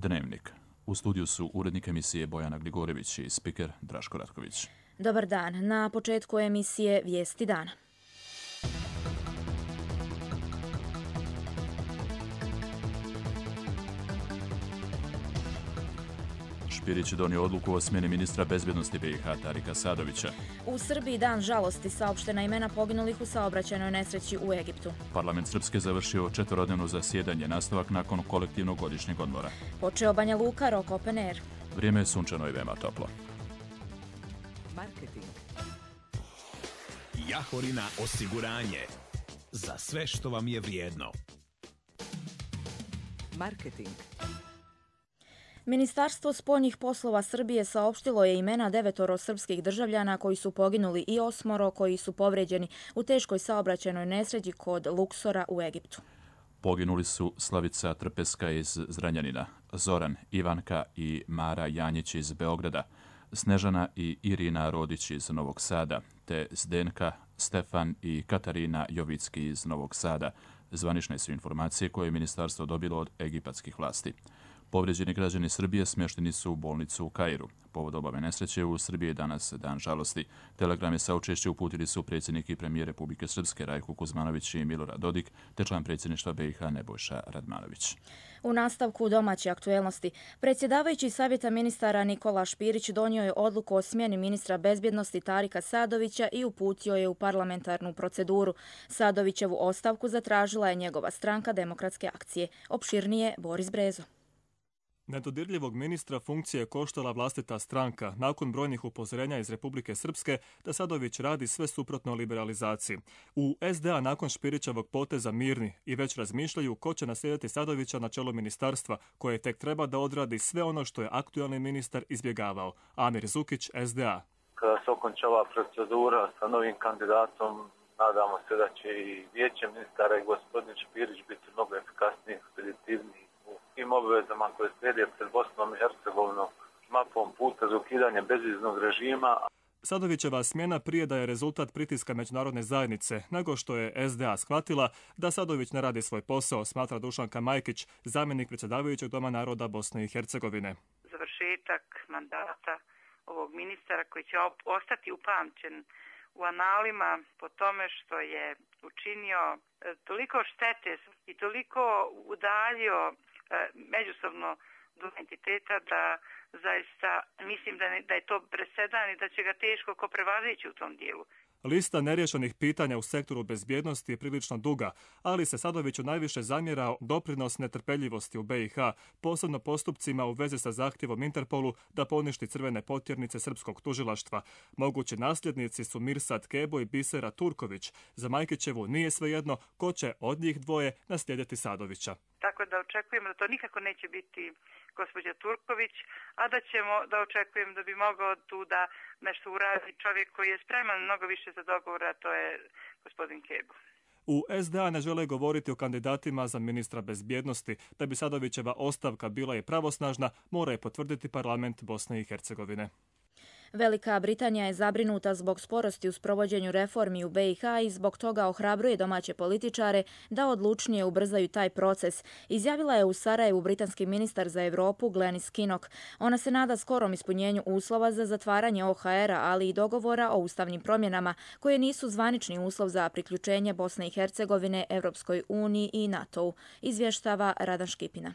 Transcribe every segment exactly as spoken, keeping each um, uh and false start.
Dnevnik. U studiju su urednik emisije Bojana Gligorević i spiker Draško Ratković. Dobar dan. Na početku emisije Vijesti dana. Špirić je donio odluku o smjeni ministra bezbjednosti B i H Tarika Sadovića. U Srbiji dan žalosti, saopštena imena poginulih u saobraćajnoj nesreći u Egiptu. Parlament Srpske završio četverodnevno zasjedanje, nastavak nakon kolektivnog godišnjeg odmora. Počeo Banja Luka, rok open air. Vrijeme je sunčano i veoma toplo. Marketing. Jahorina osiguranje. Za sve što vam je vrijedno. Marketing. Ministarstvo spoljnih poslova Srbije saopštilo je imena devetoro srpskih državljana koji su poginuli i osmoro koji su povrijeđeni u teškoj saobraćajnoj nesreći kod Luksora u Egiptu. Poginuli su Slavica Trpeska iz Zranjanina, Zoran, Ivanka i Mara Janjić iz Beograda, Snežana i Irina Rodić iz Novog Sada, te Zdenka, Stefan i Katarina Jovicki iz Novog Sada. Zvanične su informacije koje je ministarstvo dobilo od egipatskih vlasti. Povrijeđeni građani Srbije smješteni su u bolnicu u Kairu. Povod ove nesreće u Srbiji je danas dan žalosti. Telegrame saučešće uputili su predsjednik i premijer Republike Srpske Rajko Kuzmanović i Milorad Dodik, te član predsjedništva B i H Nebojša Radmanović. U nastavku domaće aktuelnosti, predsjedavajući savjeta ministara Nikola Špirić donio je odluku o smjeni ministra bezbjednosti Tarika Sadovića i uputio je u parlamentarnu proceduru. Sadovićevu ostavku zatražila je njegova stranka Demokratske akcije. Opširnije Boris Brezo. Nedodirljivog ministra funkcije je koštala vlastita stranka nakon brojnih upozorenja iz Republike Srpske da Sadović radi sve suprotno liberalizaciji. U S D A nakon Špirićevog poteza mirni i već razmišljaju ko će naslijediti Sadovića na čelu ministarstva koje tek treba da odradi sve ono što je aktualni ministar izbjegavao. Amir Zukić, S D A. Kada se okonča ova procedura sa novim kandidatom, nadamo se da će i vijeće ministara i gospodin Špirić biti mnogo efikasniji, ekspeditivniji tim obvezama koje slijede pred Bosnom i Hercegovinom mapom puta za ukidanje bezviznog režima. Sadovićeva smjena prije da je rezultat pritiska međunarodne zajednice, nego što je S D A shvatila da Sadović ne radi svoj posao, smatra Dušanka Majkić, zamjenik predsjedavajućeg Doma naroda Bosne i Hercegovine. Završetak mandata ovog ministara koji će ostati upamćen u analima po tome što je učinio toliko štete i toliko udaljio međusobno do entiteta da zaista mislim da, ne, da je to presedan i da će ga teško ko prevazići u tom dijelu. Lista neriješenih pitanja u sektoru bezbjednosti je prilično duga, ali se Sadoviću najviše zamjerao doprinos netrpeljivosti u B i H, posebno postupcima u vezi sa zahtjevom Interpolu da poništi crvene potjernice srpskog tužilaštva. Mogući nasljednici su Mirsad Kebo i Bisera Turković. Za Majkićevu nije svejedno ko će od njih dvoje naslijediti Sadovića. Tako da očekujemo da to nikako neće biti gospođa Turković, a da ćemo da očekujem da bi mogao tu da nešto uradi čovjek koji je spreman mnogo više za dogovor, a to je gospodin Kebo. U S D A ne žele govoriti o kandidatima za ministra bezbjednosti. Da bi Sadovićeva ostavka bila i pravosnažna, mora je potvrditi parlament Bosne i Hercegovine. Velika Britanija je zabrinuta zbog sporosti u sprovođenju reformi u B i H i zbog toga ohrabruje domaće političare da odlučnije ubrzaju taj proces, izjavila je u Sarajevu britanski ministar za Europu Glenis Kinnock. Ona se nada skorom ispunjenju uslova za zatvaranje O H R-a, ali i dogovora o ustavnim promjenama, koje nisu zvanični uslov za priključenje Bosne i Hercegovine Evropskoj uniji i NATO-u, izvještava Radan Škipina.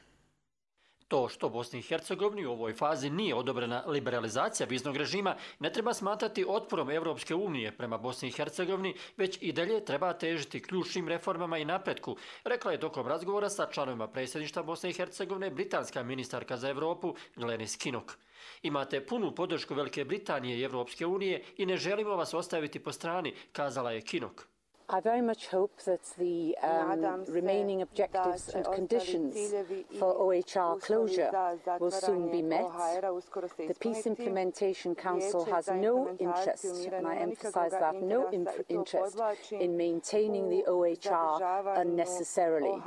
To što Bosni i Hercegovini u ovoj fazi nije odobrena liberalizacija viznog režima ne treba smatrati otporom Evropske unije prema Bosni i Hercegovini, već i dalje treba težiti ključnim reformama i napretku, rekla je tokom razgovora sa članovima predsjedništva Bosne i Hercegovine britanska ministarka za Europu Glenis Kinnock. Imate punu podršku Velike Britanije i Evropske unije i ne želimo vas ostaviti po strani, kazala je Kinnock. I very much hope that the um, remaining objectives and conditions for O H R closure will soon be met. The Peace Implementation Council has no interest, and I emphasize that, no interest in maintaining the O H R unnecessarily.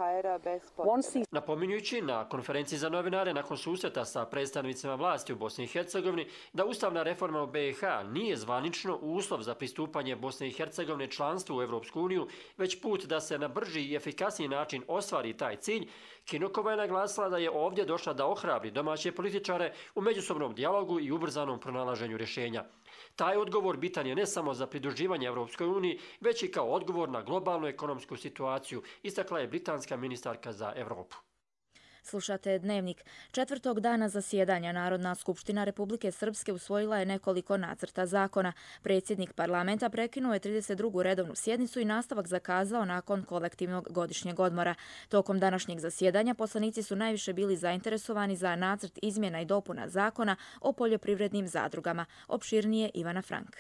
Once these... Napominjući na konferenciji za novinare nakon susreta sa predstavnicima vlasti u Bosni i Hercegovini da ustavna reforma u B i H nije zvanično uslov za pristupanje Bosne i Hercegovine članstvu u Evropskoj Europsku uniju, već put da se na brži i efikasniji način ostvari taj cilj, Kinokova je naglasila da je ovdje došla da ohrabri domaće političare u međusobnom dijalogu i ubrzanom pronalaženju rješenja. Taj odgovor bitan je ne samo za pridruživanje Europskoj uniji, već i kao odgovor na globalnu ekonomsku situaciju, istakla je britanska ministarka za Europu. Slušate Dnevnik. Četvrtog dana zasjedanja Narodna skupština Republike Srpske usvojila je nekoliko nacrta zakona. Predsjednik parlamenta prekinuo je trideset drugu redovnu sjednicu i nastavak zakazao nakon kolektivnog godišnjeg odmora. Tokom današnjeg zasjedanja poslanici su najviše bili zainteresovani za nacrt izmjena i dopuna zakona o poljoprivrednim zadrugama. Opširnije Ivana Frank.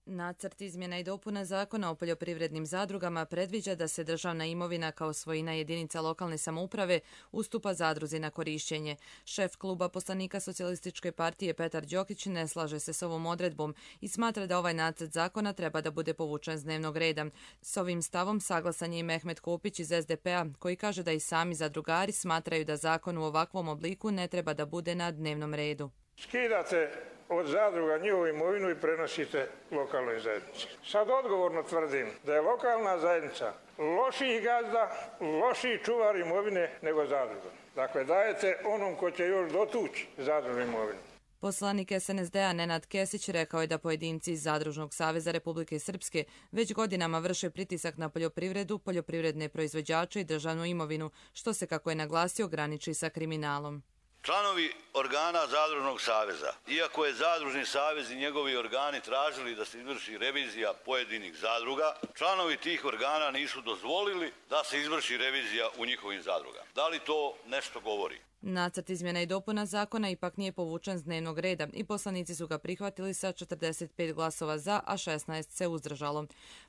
Nacrt izmjena i dopuna zakona o poljoprivrednim zadrugama predviđa da se državna imovina kao svojina jedinica lokalne samouprave ustupa zadruzi na korišćenje. Šef kluba poslanika Socijalističke partije Petar Đokić ne slaže se s ovom odredbom i smatra da ovaj nacrt zakona treba da bude povučen s dnevnog reda. S ovim stavom saglasan je i Mehmet Kopić iz S D P-a koji kaže da i sami zadrugari smatraju da zakon u ovakvom obliku ne treba da bude na dnevnom redu. Skidate od zadruga njihovu imovinu i prenosite lokalnoj zajednici. Sad odgovorno tvrdim da je lokalna zajednica lošiji gazda, lošiji čuvar imovine nego zadruga. Dakle, dajete onom ko će još dotući zadružnu imovinu. Poslanik S N S D-a Nenad Kesić rekao je da pojedinci iz Zadružnog saveza Republike Srpske već godinama vrše pritisak na poljoprivredu, poljoprivredne proizvođače i državnu imovinu, što se, kako je naglasio, graniči sa kriminalom. Članovi organa Zadružnog saveza, iako je Zadružni savez i njegovi organi tražili da se izvrši revizija pojedinih zadruga, članovi tih organa nisu dozvolili da se izvrši revizija u njihovim zadrugama. Da li to nešto govori? Nacrt izmjena i dopuna zakona ipak nije povučen s dnevnog reda i poslanici su ga prihvatili sa četrdeset pet glasova za, a šesnaest se uzdržalo.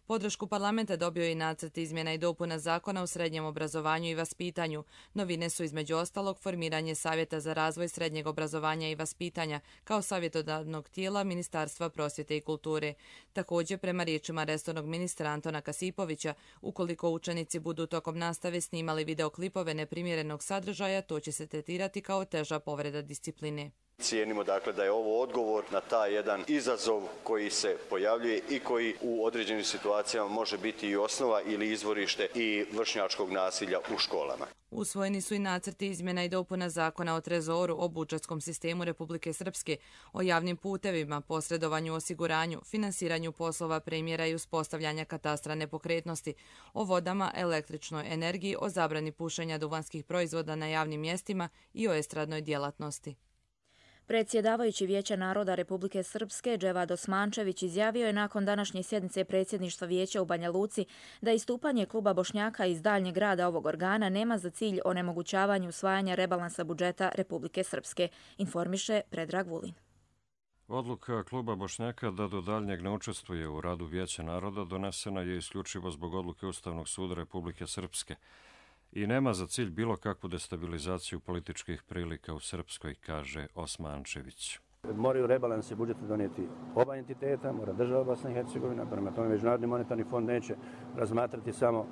Podršku parlamenta dobio je i nacrt izmjena i dopuna zakona o srednjem obrazovanju i vaspitanju. Novine su između ostalog formiranje Savjeta za razvoj srednjeg obrazovanja i vaspitanja kao savjetodavnog tijela Ministarstva prosvjete i kulture. Također, prema riječima resornog ministra Antona Kasipovića, ukoliko učenici budu tokom nastave snimali videoklipove neprimjerenog sadržaja, to će se tretirati kao teža povreda discipline. Cijenimo dakle da je ovo odgovor na taj jedan izazov koji se pojavljuje i koji u određenim situacijama može biti i osnova ili izvorište i vršnjačkog nasilja u školama. Usvojeni su i nacrti izmjena i dopuna zakona o trezoru, o budžetskom sistemu Republike Srpske, o javnim putevima, posredovanju, osiguranju, finansiranju poslova premjera i uspostavljanja katastra nepokretnosti, o vodama, električnoj energiji, o zabrani pušenja duvanskih proizvoda na javnim mjestima i o estradnoj djelatnosti. Predsjedavajući Vijeća naroda Republike Srpske Dževad Osmančević izjavio je nakon današnje sjednice predsjedništva Vijeća u Banja Luci da istupanje kluba Bošnjaka iz daljnjeg rada ovog organa nema za cilj onemogućavanje usvajanja rebalansa budžeta Republike Srpske, informiše Predrag Vulin. Odluka kluba Bošnjaka da do daljnjeg ne učestvuje u radu Vijeća naroda donesena je isključivo zbog odluke Ustavnog suda Republike Srpske i nema za cilj bilo kakvu destabilizaciju političkih prilika u Srpskoj, kaže Osmančević. Moraju rebalanse budžeta donijeti oba entiteta, mora država Bosna i Hercegovina, prema tome Međunarodni monetarni fond neće razmatrati samo uh,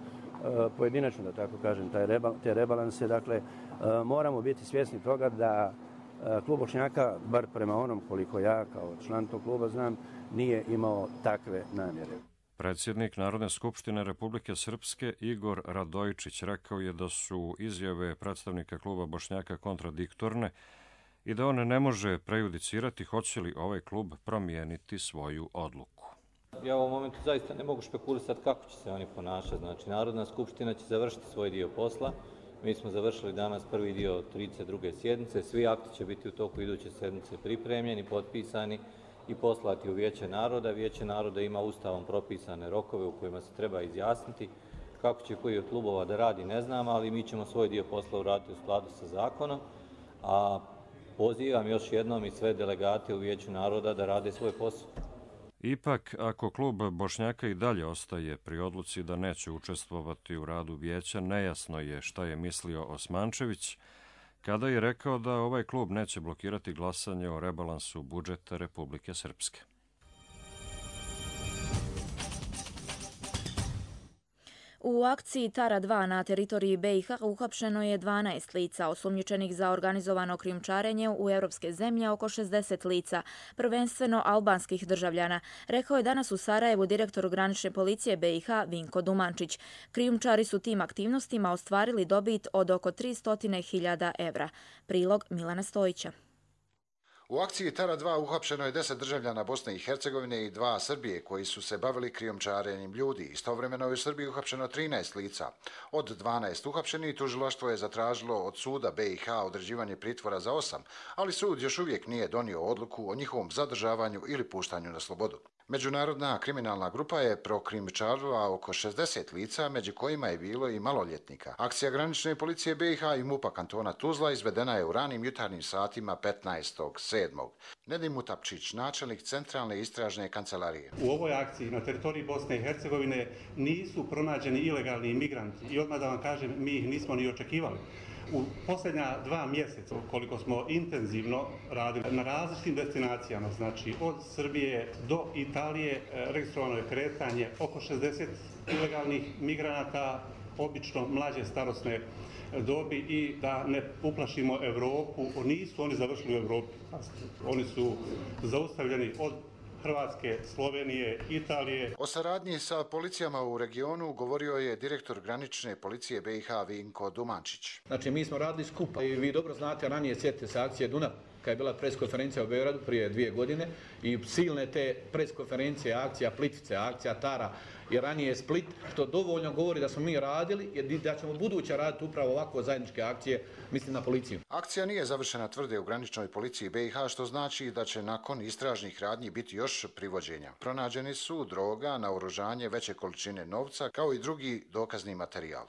pojedinačno, da tako kažem, taj rebal, te rebalanse. Dakle, uh, moramo biti svjesni toga da uh, klub Bošnjaka, bar prema onom koliko ja kao član tog kluba znam, nije imao takve namjere. Predsjednik Narodne skupštine Republike Srpske Igor Radojčić rekao je da su izjave predstavnika kluba Bošnjaka kontradiktorne i da on ne može prejudicirati hoće li ovaj klub promijeniti svoju odluku. Ja u ovom momentu zaista ne mogu špekulisati kako će se oni ponašati. Znači, Narodna skupština će završiti svoj dio posla. Mi smo završili danas prvi dio trideset druge sjednice. Svi akti će biti u toku iduće sedmice pripremljeni, potpisani i poslati u Vijeće naroda. Vijeće naroda ima ustavom propisane rokove u kojima se treba izjasniti. Kako će koji od klubova da radi, ne znam, ali mi ćemo svoj dio posla uraditi u skladu sa zakonom. A pozivam još jednom i sve delegate u Vijeću naroda da rade svoj posao. Ipak, ako klub Bošnjaka i dalje ostaje pri odluci da neće učestvovati u radu Vijeća, nejasno je šta je mislio Osmančević kada je rekao da ovaj klub neće blokirati glasanje o rebalansu budžeta Republike Srpske. U akciji Tara dva na teritoriji B i H uhapšeno je dvanaest lica, osumnjičenih za organizovano krijumčarenje u europske zemlje oko šezdeset lica, prvenstveno albanskih državljana, rekao je danas u Sarajevu direktor granične policije B i H Vinko Dumančić. Krijumčari su tim aktivnostima ostvarili dobit od oko tristo hiljada evra. Prilog Milana Stojića. U akciji Tara dva uhapšeno je deset državljana Bosne i Hercegovine i dva Srbije koji su se bavili krijumčarenjem ljudi. Istovremeno je u Srbiji uhapšeno trinaest lica. Od dvanaest uhapšenih tužilaštvo je zatražilo od suda B i H određivanje pritvora za osam, ali sud još uvijek nije donio odluku o njihovom zadržavanju ili puštanju na slobodu. Međunarodna kriminalna grupa je prokrijumčarila oko šezdeset lica, među kojima je bilo i maloljetnika. Akcija granične policije B i H i MUP-a kantona Tuzla izvedena je u ranim jutarnjim satima petnaestog sedmog Nedim Mutapčić, načelnik Centralne istražne kancelarije. U ovoj akciji na teritoriji Bosne i Hercegovine nisu pronađeni ilegalni imigranti i odmah da vam kažem, mi ih nismo ni očekivali. U posljednja dva mjeseca, koliko smo intenzivno radili na različitim destinacijama, znači od Srbije do Italije, registrovano je kretanje oko šezdeset ilegalnih migranata, obično mlađe starosne dobi, i da ne uplašimo Europu, nisu oni završili u Europi, oni su zaustavljeni od Hrvatske, Slovenije, Italije. O saradnji sa policijama u regionu govorio je direktor granične policije B i H Vinko Dumančić. Znači, mi smo radili skupa i vi dobro znate, ranije sjetite se akcije Dunav, kad je bila preskonferencija u Beogradu prije dvije godine i silne te preskonferencije, akcija Plitvice, akcija Tara i ranije Split, što dovoljno govori da smo mi radili i da ćemo buduće raditi upravo ovako zajedničke akcije, mislim na policiju. Akcija nije završena, tvrde u graničnoj policiji B i H, što znači da će nakon istražnih radnji biti još privođenja. Pronađeni su droga, naoružanje, veće količine novca, kao i drugi dokazni materijal.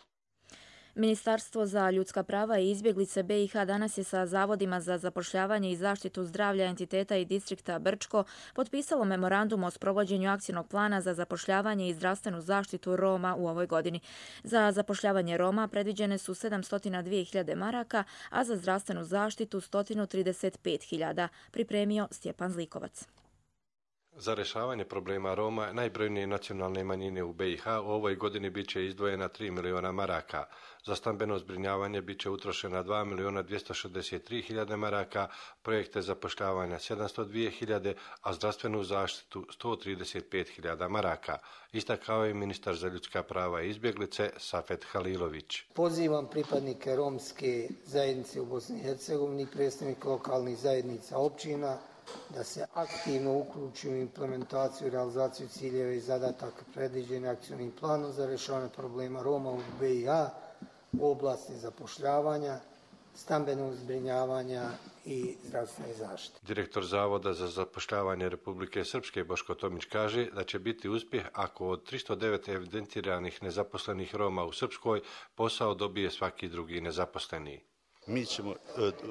Ministarstvo za ljudska prava i izbjeglice B i H danas je sa Zavodima za zapošljavanje i zaštitu zdravlja entiteta i distrikta Brčko potpisalo memorandum o sprovođenju akcijnog plana za zapošljavanje i zdravstvenu zaštitu Roma u ovoj godini. Za zapošljavanje Roma predviđene su sedamsto dvije hiljade maraka, a za zdravstvenu zaštitu sto trideset pet hiljada, pripremio Stjepan Zlikovac. Za rješavanje problema Roma najbrojnije nacionalne manjine u B i H u ovoj godini bit će izdvojena tri miliona maraka. Za stambeno zbrinjavanje bit će utrošena dva miliona dvjesto šezdeset tri hiljade maraka, projekte zapošljavanja sedamsto dvije hiljade, a zdravstvenu zaštitu sto trideset pet hiljada maraka. Istakao je ministar za ljudska prava i izbjeglice Safet Halilović. Pozivam pripadnike romske zajednice u Bosni i Hercegovini, predstavnike lokalnih zajednica općina, da se aktivno uključi u implementaciju i realizaciju ciljeva i zadataka predviđenih akcionim planom za rješavanje problema Roma u B i H u oblasti zapošljavanja, stambenog zbrinjavanja i zdravstvene zaštite. Direktor Zavoda za zapošljavanje Republike Srpske Boško Tomić kaže da će biti uspjeh ako od tristo devet evidentiranih nezaposlenih Roma u Srpskoj posao dobije svaki drugi nezaposleni. Mi ćemo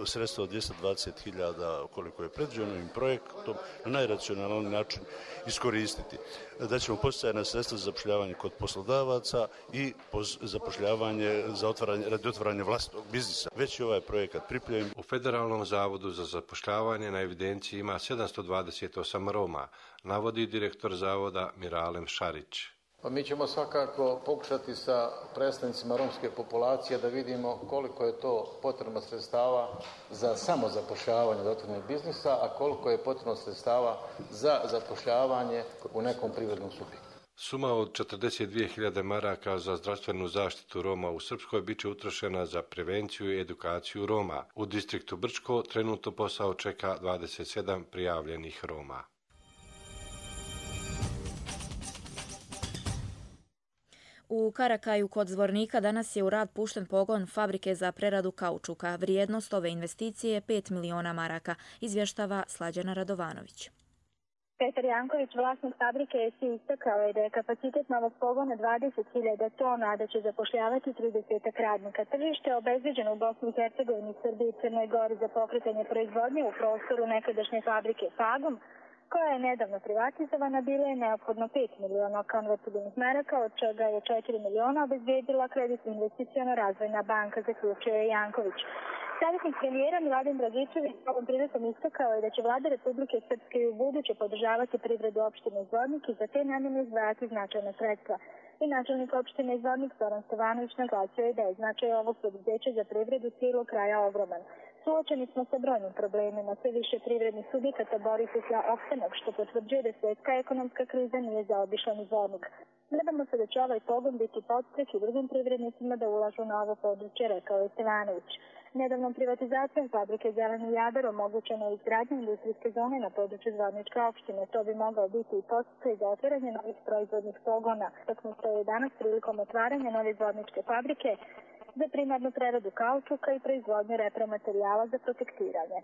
sredstva od dvjesto dvadeset hiljada, koliko je predviđeno ovim projektom, na najracionalniji način iskoristiti. Da ćemo postojati sredstva za zapošljavanje kod poslodavaca i zapošljavanje za otvaranje, radi otvaranja vlastnog biznisa. Već je ovaj projekat pripremljen. U Federalnom zavodu za zapošljavanje na evidenciji ima sedamsto dvadeset osam Roma, navodi direktor zavoda Miralem Šarić. Pa mi ćemo svakako pokušati sa predstavnicima romske populacije da vidimo koliko je to potrebno sredstava za samozapošljavanje otvorenog biznisa, a koliko je potrebno sredstava za zapošljavanje u nekom privrednom subjektu. Suma od četrdeset dvije hiljade maraka za zdravstvenu zaštitu Roma u Srpskoj bit će utrošena za prevenciju i edukaciju Roma. U distriktu Brčko trenutno posao čeka dvadeset sedam prijavljenih Roma. U Karakaju kod Zvornika danas je u rad pušten pogon fabrike za preradu kaučuka. Vrijednost ove investicije je pet miliona maraka, izvještava Slađana Radovanović. Petar Janković, vlasnik fabrike, je istakao je da je kapacitet novog pogona dvadeset hiljada tona, a da će zapošljavati trideset radnika. Tržište je obezbeđeno u Bosni i Hercegovini, Srbiji i Crnoj Gori za pokretanje proizvodnje u prostoru nekadašnje fabrike Fagum, koja je nedavno privatizovana. Bilo je neophodno pet miliona konvertibilnih maraka, od čega je četiri miliona obezbedila kreditno investiciona razvojna banka, zaključio je Janković. Savjetnik premijera Miladin Dragičević ovom prilikom istakao je da će vlada Republike Srpske i u buduće podržavati privredu opštine Zvornik i za te namjene izdvajati značajna sredstva. I načelnik opštine Zvornik Zoran Stevanović naglasio je da je značaj ovog preduzeća za privredu cijelog kraja ogroman. Suočeni smo sa brojnim problemima, sve više privrednih subjekata bori se za opstanak, što potvrđuje da svjetska ekonomska kriza nije zaobišla ni Zvornik. Nadamo se da će ovaj pogon biti podstrek i drugim privrednicima da ulažu na ovo područje, rekao je Stevanović. Nedavnom privatizacijom fabrike Zeleni Jadar omogućeno je izgradnja industrijske zone na području Zvorničke opštine. To bi mogao biti i podsticaj za otvaranje novih proizvodnih pogona. Taknuto je danas prilikom otvaranja nove Zvorničke fabrike za primarnu preradu kaučuka i proizvodnju repromaterijala za protektiranje.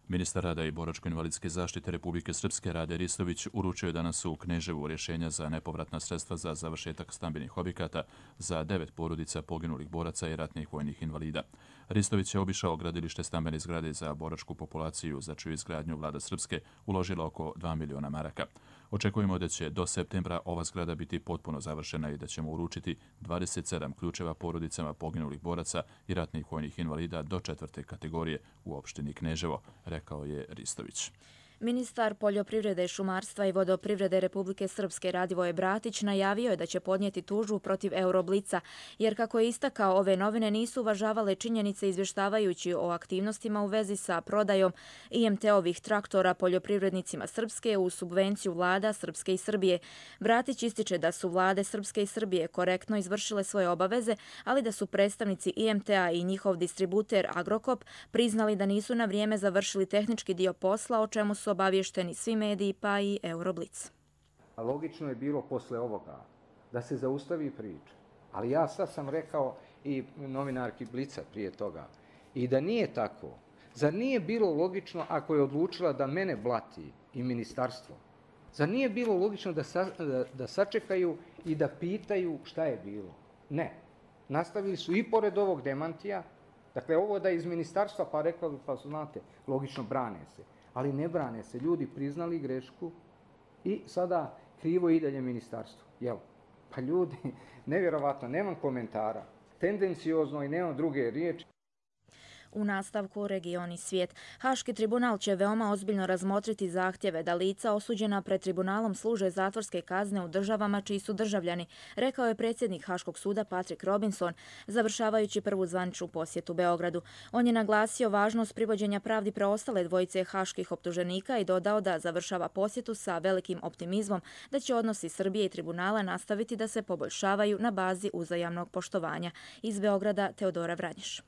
Ministar rada i boračko-invalidske zaštite Republike Srpske Rade Ristović uručio je danas u Kneževu rješenja za nepovratna sredstva za završetak stambenih objekata za devet porodica poginulih boraca i ratnih vojnih invalida. Ristović je obišao gradilište stambene zgrade za boračku populaciju, za čiju izgradnju vlada Srpske uložila oko dva miliona maraka. Očekujemo da će do septembra ova zgrada biti potpuno završena i da ćemo uručiti dvadeset sedam ključeva porodicama poginulih boraca i ratnih vojnih invalida do četvrte kategorije u opštini Kneževo, rekao je Ristović. Ministar poljoprivrede, šumarstva i vodoprivrede Republike Srpske Radivoje Bratić najavio je da će podnijeti tužbu protiv Euroblica, jer kako je istakao, ove novine nisu uvažavale činjenice izvještavajući o aktivnostima u vezi sa prodajom I M T-ovih traktora poljoprivrednicima Srpske u subvenciju vlada Srpske i Srbije. Bratić ističe da su vlade Srpske i Srbije korektno izvršile svoje obaveze, ali da su predstavnici I M T-a i njihov distributer Agrokop priznali da nisu na vrijeme završili tehnički dio posla, o čemu su obavješteni svi mediji pa i Euroblic. Logično je bilo posle ovoga da se zaustavi priča, ali ja sad sam rekao i novinarki Blica prije toga i da nije tako. Zar nije bilo logično ako je odlučila da mene blati i ministarstvo? Zar nije bilo logično da, sa, da, da sačekaju i da pitaju šta je bilo? Ne. Nastavili su i pored ovog demantija, dakle ovo da je iz ministarstva pa rekao, pa znate, logično brane se. Ali ne brane se, ljudi priznali grešku i sada krivo i dalje ministarstvo. Jel? Pa ljudi, nevjerovatno, nemam komentara, tendenciozno i nemam druge riječi. U nastavku regioni svijet. Haški tribunal će veoma ozbiljno razmotriti zahtjeve da lica osuđena pred tribunalom služe zatvorske kazne u državama čiji su državljani, rekao je predsjednik Haškog suda Patrick Robinson, završavajući prvu zvaničnu posjetu Beogradu. On je naglasio važnost privođenja pravdi preostale dvojice haških optuženika i dodao da završava posjetu sa velikim optimizmom da će odnosi Srbije i tribunala nastaviti da se poboljšavaju na bazi uzajamnog poštovanja. Iz Beograda Teodora Vranješ.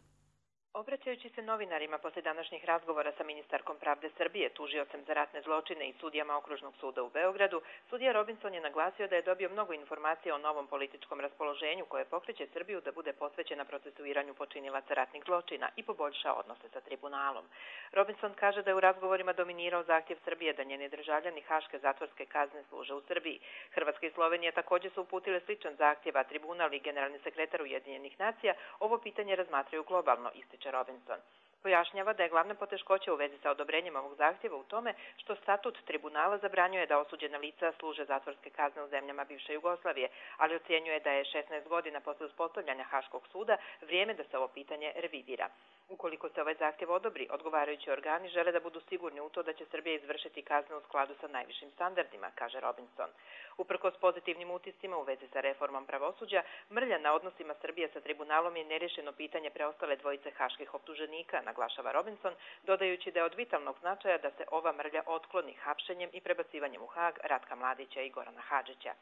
Obraćajući se novinarima poslije današnjih razgovora sa ministarkom pravde Srbije, tužiocem za ratne zločine i sudijama Okružnog suda u Beogradu, sudija Robinson je naglasio da je dobio mnogo informacija o novom političkom raspoloženju koje pokreće Srbiju da bude posvećena procesuiranju počinilaca ratnih zločina i poboljša odnose sa tribunalom. Robinson kaže da je u razgovorima dominirao zahtjev Srbije da njeni državljani haške zatvorske kazne služe u Srbiji. Hrvatska i Slovenija također su uputile sličan zahtjev, a tribunal i generalni sekretar Ujedinjenih nacija ovo pitanje razmatraju globalno, ističe Robinson. Pojašnjava da je glavna poteškoća u vezi sa odobrenjem ovog zahtjeva u tome što statut tribunala zabranjuje da osuđena lica služe zatvorske kazne u zemljama bivše Jugoslavije, ali ocjenjuje da je šesnaest godina posle uspostavljanja Haškog suda vrijeme da se ovo pitanje revidira. Ukoliko se ovaj zahtjev odobri, odgovarajući organi žele da budu sigurni u to da će Srbija izvršiti kazne u skladu sa najvišim standardima, kaže Robinson. Uprkos pozitivnim utiscima u vezi sa reformom pravosuđa, mrlja na odnosima Srbije sa tribunalom je nerješeno pitanje preostale dvojice haških optuženika, naglašava Robinson, dodajući da je od vitalnog značaja da se ova mrlja otkloni hapšenjem i prebacivanjem u Hag Ratka Mladića i Gorana Hadžića.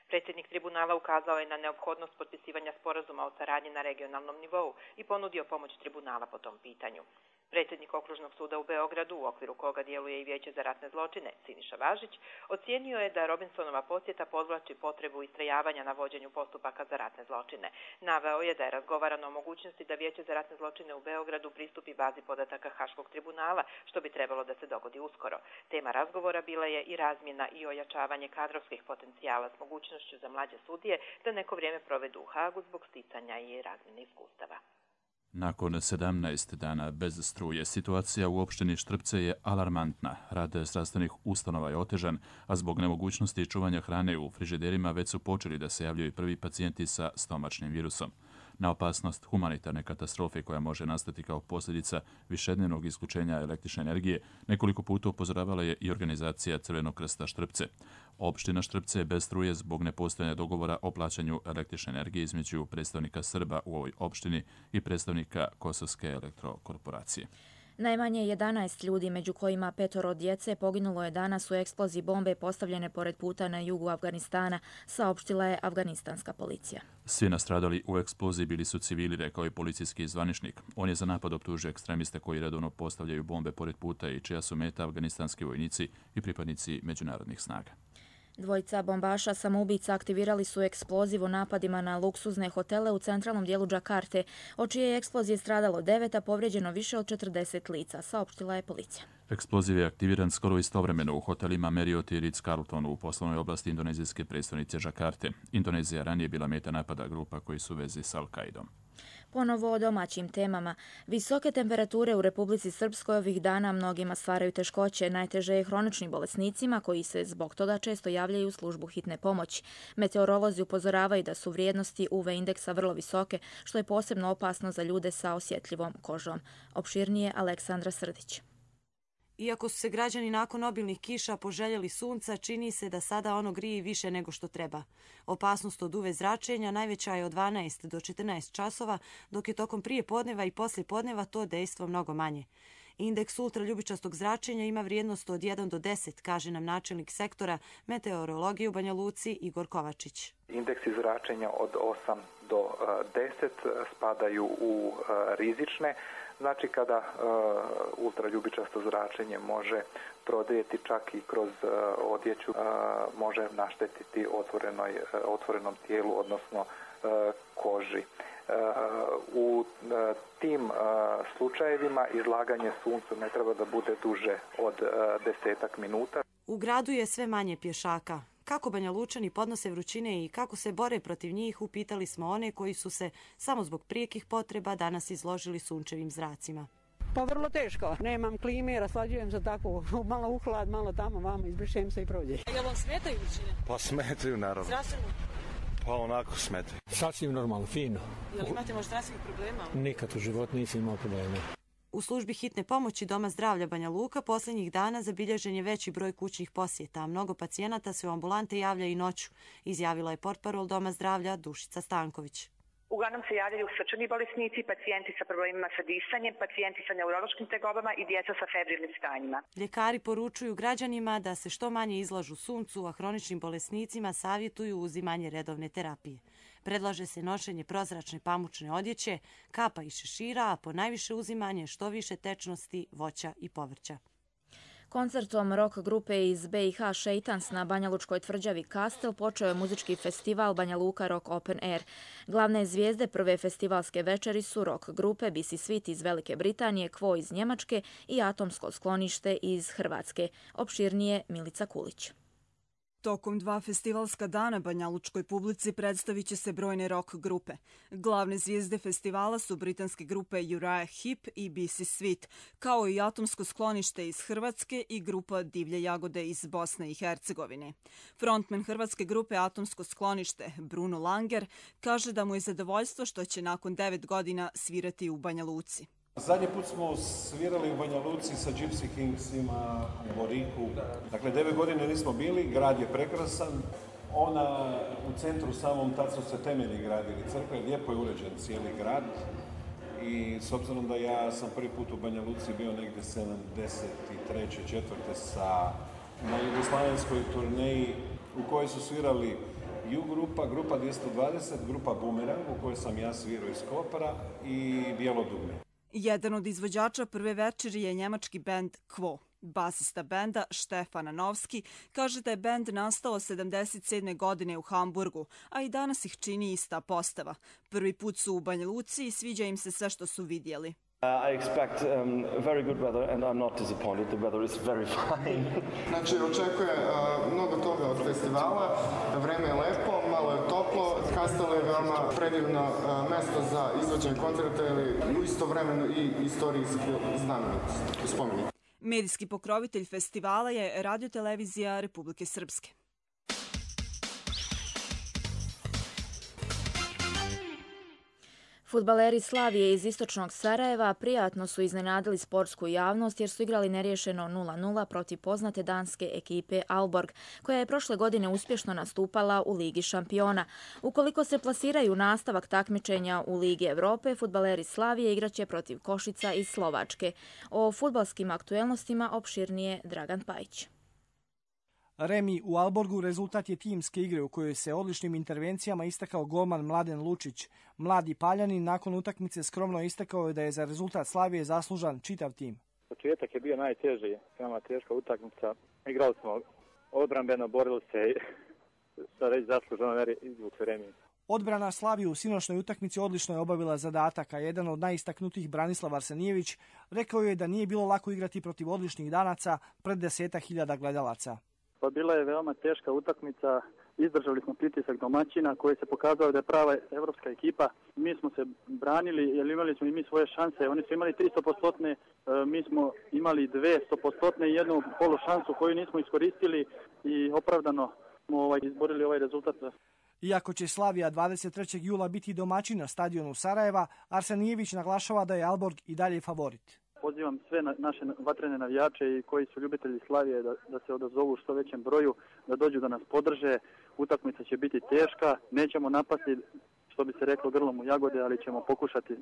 Predsjednik tribunala ukazao je na neophodnost potpisivanja sporazuma o saradnji na regionalnom nivou i ponudio pomoć tribunala po tom pitanju. Predsjednik Okružnog suda u Beogradu, u okviru koga djeluje i Vijeće za ratne zločine, Siniša Važić, ocijenio je da Robinsonova posjeta podvlači potrebu istrajavanja na vođenju postupaka za ratne zločine. Naveo je da je razgovarano o mogućnosti da Vijeće za ratne zločine u Beogradu pristupi bazi podataka Haškog tribunala, što bi trebalo da se dogodi uskoro. Tema razgovora bila je i razmjena i ojačavanje kadrovskih potencijala s mogućnošću za mlađe sudije da neko vrijeme provedu u Hagu zbog sticanja i razmjene iskustava. Nakon sedamnaest dana bez struje, situacija u opštini Štrpce je alarmantna. Rad zdravstvenih ustanova je otežan, a zbog nemogućnosti čuvanja hrane u frižiderima već su počeli da se javljaju prvi pacijenti sa stomačnim virusom. na opasnost humanitarne katastrofe koja može nastati kao posljedica višednevnog isključenja električne energije, nekoliko puta upozoravala je i organizacija Crvenog krsta Štrpce. Opština Štrpce je bez struje zbog nepostojanja dogovora o plaćanju električne energije između predstavnika Srba u ovoj opštini i predstavnika Kosovske elektrokorporacije. Najmanje jedanaest ljudi, među kojima petoro djece, poginulo je danas u eksploziji bombe postavljene pored puta na jugu Afganistana, saopštila je afganistanska policija. Svi nastradali u eksploziji bili su civili, rekao je policijski zvaničnik. On je za napad optužio ekstremiste koji redovno postavljaju bombe pored puta i čija su meta afganistanski vojnici i pripadnici međunarodnih snaga. Dvojica bombaša samoubica aktivirali su eksploziv u napadima na luksuzne hotele u centralnom dijelu Džakarte, od čije je eksplozije stradalo devet, a povrijeđeno više od četrdeset lica, saopštila je policija. Eksploziv je aktiviran skoro istovremeno u hotelima Marriott i Ritz-Carlton u poslovnoj oblasti indonezijske prestonice Džakarte. Indonezija ranije bila meta napada grupa koji su u vezi s Al-Qaidom. Ponovo o domaćim temama. Visoke temperature u Republici Srpskoj ovih dana mnogima stvaraju teškoće. Najteže je hroničnim bolesnicima koji se zbog toga često javljaju u službu hitne pomoći. Meteorolozi upozoravaju da su vrijednosti U V indeksa vrlo visoke, što je posebno opasno za ljude sa osjetljivom kožom. Opširnije Aleksandra Srdić. Iako su se građani nakon obilnih kiša poželjeli sunca, čini se da sada ono grije više nego što treba. Opasnost od U V zračenja najveća je od dvanaest do četrnaest časova, dok je tokom prije podneva i poslije podneva to dejstvo mnogo manje. Indeks ultraljubičastog zračenja ima vrijednost od jedan do deset, kaže nam načelnik sektora meteorologije u Banja Luci Igor Kovačić. Indeksi zračenja od osam do deset spadaju u rizične. Znači kada uh, ultraljubičasto zračenje može prodrijeti čak i kroz uh, odjeću, uh, može naštetiti otvorenoj, uh, otvorenom tijelu, odnosno uh, koži. Uh, u uh, tim uh, slučajevima izlaganje suncu ne treba da bude duže od uh, desetak minuta. U gradu je sve manje pješaka. Kako Banja Lučani podnose vrućine i kako se bore protiv njih, upitali smo one koji su se samo zbog prijekih potreba danas izložili sunčevim zracima. Pa vrlo teško. Nemam klime, raslađujem se tako, malo uhlad, malo tamo, vamo, izbrišem se i prođe. A jel vam smetaju vrućine? Pa smetaju, naravno. Zdravstveno? Pa onako smetaju. Sasvim normalno, fino. Jel imate možda zdravstvenih problema? Nikad u životu nisam imao problema. U službi hitne pomoći Doma zdravlja Banja Luka posljednjih dana zabilježen je veći broj kućnih posjeta, a mnogo pacijenata se u ambulante javlja i noću, izjavila je portparol Doma zdravlja Dušica Stanković. Uglavnom se javljaju srčani bolesnici, pacijenti sa problemima sa disanjem, pacijenti sa neurološkim tegobama i djeca sa febrilnim stanjima. Ljekari poručuju građanima da se što manje izlažu suncu, a hroničnim bolesnicima savjetuju uzimanje redovne terapije. Predlaže se nošenje prozračne pamučne odjeće, kapa i šešira, a po najviše uzimanje što više tečnosti, voća i povrća. Koncertom rock grupe iz B i H Šeitans na banjalučkoj tvrđavi Kastel počeo je muzički festival Banja Luka Rock Open Air. Glavne zvijezde prve festivalske večeri su rock grupe B C Sweet iz Velike Britanije, Quo iz Njemačke i Atomsko sklonište iz Hrvatske. Opširnije Milica Kulić. Tokom dva festivalska dana banjalučkoj publici predstavit će se brojne rock grupe. Glavne zvijezde festivala su britanske grupe Uriah Heep i B C Sweet, kao i Atomsko sklonište iz Hrvatske i grupa Divlje jagode iz Bosne i Hercegovine. Frontman hrvatske grupe Atomsko sklonište, Bruno Langer, kaže da mu je zadovoljstvo što će nakon devet godina svirati u Banja Luci. Zadnji put smo svirali u Banja Luci sa Gypsy Kingsima u Boriku. Dakle, devet godina nismo bili, grad je prekrasan. Ona u centru samom, tad su se temelji gradili crkve, lijepo je uređen cijeli grad. I s obzirom da ja sam prvi put u Banja Luci bio negdje sedamdeset treće četvrte sa na jugoslavenskoj turneji u kojoj su svirali Ju grupa, grupa dvjesto dvadeset, grupa Bumerang u kojoj sam ja svirao iz Kopara i Bijelo dugme. Jedan od izvođača prve večeri je njemački bend Quo. Basista benda Štefan Novski kaže da je bend nastao sedamdeset sedme godine u Hamburgu, a i danas ih čini ista postava. Prvi put su u Banja Luci i sviđa im se sve što su vidjeli. Uh, I expect um, very good weather and I'm not disappointed. The weather is very fine. Znači, očekuje uh, mnogo toga od festivala. Vreme je lepo, malo je toplo. Kastel je veoma predivno uh, mesto za izvođenje koncerta ili istovremeno i istorijski znamenitost, spomenik. Medijski pokrovitelj festivala je radiotelevizija Republike Srpske. Fudbaleri Slavije iz istočnog Sarajeva prijatno su iznenadili sportsku javnost jer su igrali nerješeno nula nula protiv poznate danske ekipe Aalborg, koja je prošle godine uspješno nastupala u Ligi šampiona. Ukoliko se plasiraju nastavak takmičenja u Ligi Evrope, fudbaleri Slavije igraće protiv Košica iz Slovačke. O fudbalskim aktuelnostima opširnije Dragan Pajić. Remi u Aalborgu rezultat je timske igre u kojoj se odličnim intervencijama istakao golman Mladen Lučić. Mladi Paljanin nakon utakmice skromno istakao je da je za rezultat Slavije zaslužan čitav tim. Početak je bio najteži, veoma teška utakmica. Igrali smo odbrambeno, borili se i sa reći zasluženo izvukli remi. Odbrana Slavije u sinoćnoj utakmici odlično je obavila zadatak, a jedan od najistaknutijih Branislav Arsenijević rekao je da nije bilo lako igrati protiv odličnih Danaca pred desetak hiljada gledalaca. Pa bila je veoma teška utakmica, izdržali smo pritisak domaćina koji se pokazao da je prava evropska ekipa. Mi smo se branili jer imali smo i mi svoje šanse, oni su imali tristo posto, mi smo imali dvesta posto i jednu polu šansu koju nismo iskoristili i opravdano smo ovaj, izborili ovaj rezultat. Iako će Slavija dvadeset trećeg jula biti domaćin na stadionu Sarajeva, Arsenijević naglašava da je Aalborg i dalje favorit. Pozivam sve na, naše vatrene navijače i koji su ljubitelji Slavije da, da se odazovu u što većem broju, da dođu da nas podrže. Utakmica će biti teška, nećemo napasti, što bi se reklo, grlom u jagode, ali ćemo pokušati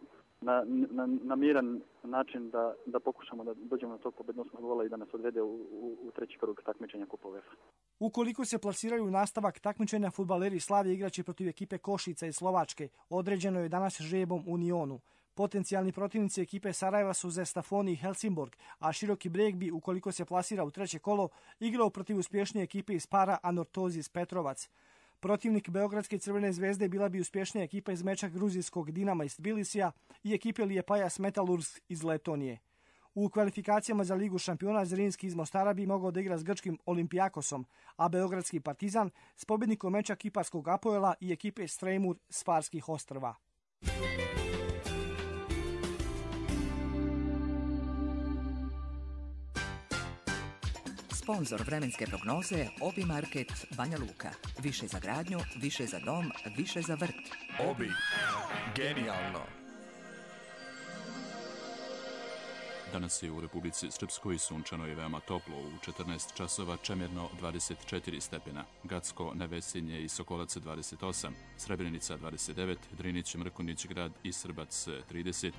na, na, na miran način da, da pokušamo da dođemo na tog pobednosnog gola i da nas odvede u, u, u treći krug takmičenja Kupa UEFA. Ukoliko se plasiraju nastavak takmičenja, fudbaleri Slavije igraće protiv ekipe Košica iz Slovačke. Određeno je danas žrebom u Nionu. Potencijalni protivnici ekipe Sarajeva su Zestafoni i Helsingborg, a Široki Brijeg bi, ukoliko se plasira u treće kolo, igrao protiv uspješnije ekipe iz para Anortozis Petrovac. Protivnik Beogradske Crvene zvezde bila bi uspješnija ekipa iz meča gruzijskog Dinama iz Tbilisija i ekipe Liepājas Metalurgs iz Letonije. U kvalifikacijama za Ligu šampiona Zrinski iz Mostara bi mogao da igra s grčkim Olimpijakosom, a Beogradski Partizan s pobjednikom meča kiparskog Apoela i ekipe Strejmur s Farskih ostrva. Sponzor vremenske prognoze Obi Market Banja Luka. Više za gradnju, više za dom, više za vrt. Obi. Genijalno. Danas je u Republici Srpskoj sunčano i veoma toplo, u četrnaest časova čemirno dvadeset četiri stepena, Gacko, Nevesinje i Sokolac dvadeset osam, Srebrenica dvadeset devet, Drinić, Mrkonjić grad i Srbac trideset,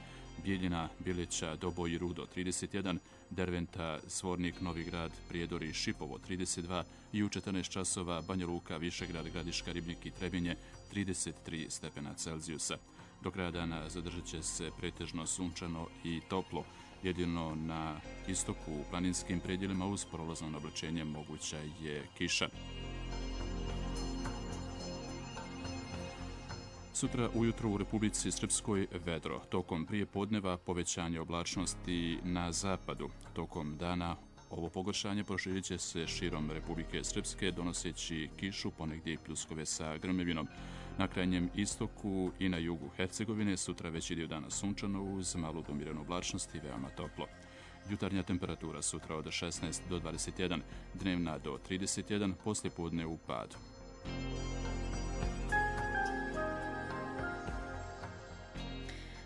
Bijeljina, Bileća, Doboj i Rudo trideset jedan, Derventa, Svornik, Novi grad, Prijedor i Šipovo trideset dva i u četrnaest časova Banja Luka, Višegrad, Gradiška, Ribnik i Trebinje trideset tri stepena Celzijusa. Do kraja dana zadržat će se pretežno sunčano i toplo. Jedino na istoku u planinskim predjelima uz prolazno oblačenje moguća je kiša. Sutra ujutro u Republici Srpskoj vedro. Tokom prije podneva povećanje oblačnosti na zapadu. Tokom dana ovo pogoršanje proširit će se širom Republike Srpske, donoseći kišu, ponegdje i pljuskove sa grmevinom. Na krajnjem istoku i na jugu Hercegovine sutra veći dio dana sunčano uz malu do umirenu oblačnost i veoma toplo. Jutarnja temperatura sutra od šesnaest do dvadeset jedan, dnevna do trideset jedan, poslije podne u padu.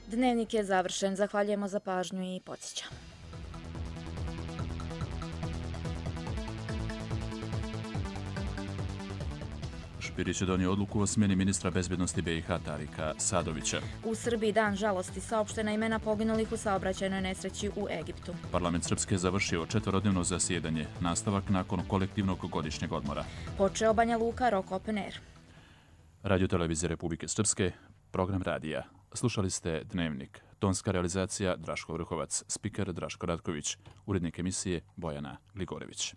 Dnevnik je završen. Zahvaljujemo za pažnju i podsjećam. Špirić je donio odluku o smjeni ministra bezbjednosti B i H Tarika Sadovića. U Srbiji dan žalosti, saopštena imena poginulih u saobraćajnoj nesreći u Egiptu. Parlament Srpske završio četverodnevno zasjedanje, nastavak nakon kolektivnog godišnjeg odmora. Počeo Banja Luka, Rock Open Air. Radio Televizije Republike Srpske, program radija. Slušali ste Dnevnik. Tonska realizacija Draško Vrhovac, spiker Draško Ratković, urednik emisije Bojana Gligorević.